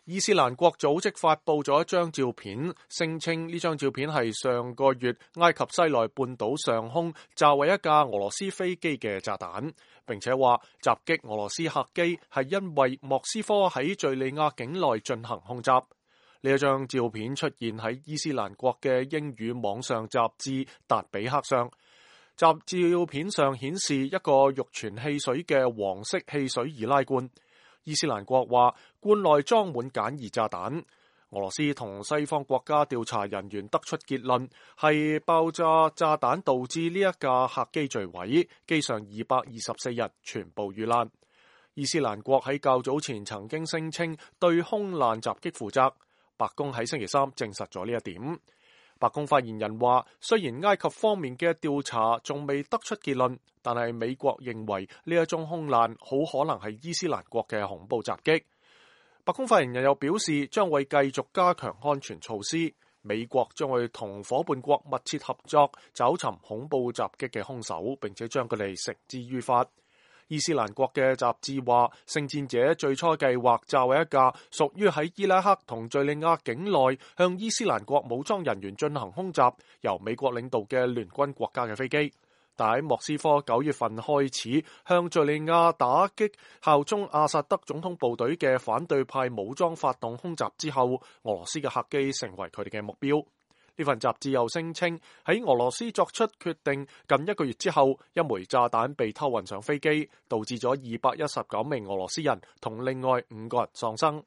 伊斯蘭國組織發布咗一張照片，聲稱呢張照片係上個月埃及西奈半島上空炸毀一架俄羅斯飛機嘅炸彈，並且話襲擊俄羅斯客機係因為莫斯科喺敘利亞境內進行空襲。呢一張照片出現喺伊斯蘭國嘅英語網上雜誌達比克上，照片上顯示一個玉泉汽水嘅黃色汽水易拉罐。伊斯蘭國話罐內裝滿簡易炸彈。俄羅斯同西方國家調查人員得出結論，係爆炸炸彈導致呢一架客機墜毀，機上224人全部遇難。伊斯蘭國喺較早前曾經聲稱對空難襲擊負責，白宮喺星期三證實咗呢一點。白宮發言人話，雖然埃及方面嘅調查仲未得出結論，但係美國認為呢一宗空難好可能係伊斯蘭國嘅恐怖襲擊。白宮發言人又表示，將會繼續加強安全措施，美國將會同夥伴國密切合作，找尋恐怖襲擊嘅兇手，並且將佢哋繩之於法。伊斯蘭國嘅雜誌話，聖戰者最初計劃炸毀一架屬於喺伊拉克同敘利亞境內向伊斯蘭國武裝人員進行空襲，由美國領導嘅聯軍國家嘅飛機。但喺莫斯科9月份開始向敘利亞打擊效忠阿薩德總統部隊嘅反對派武裝發動空襲之後，俄羅斯嘅客機成為佢哋嘅目標。呢份雜誌又聲稱喺俄羅斯作出決定近1個月之後，一枚炸彈被偷運上飛機，導致咗219名俄羅斯人同另外5個人喪生。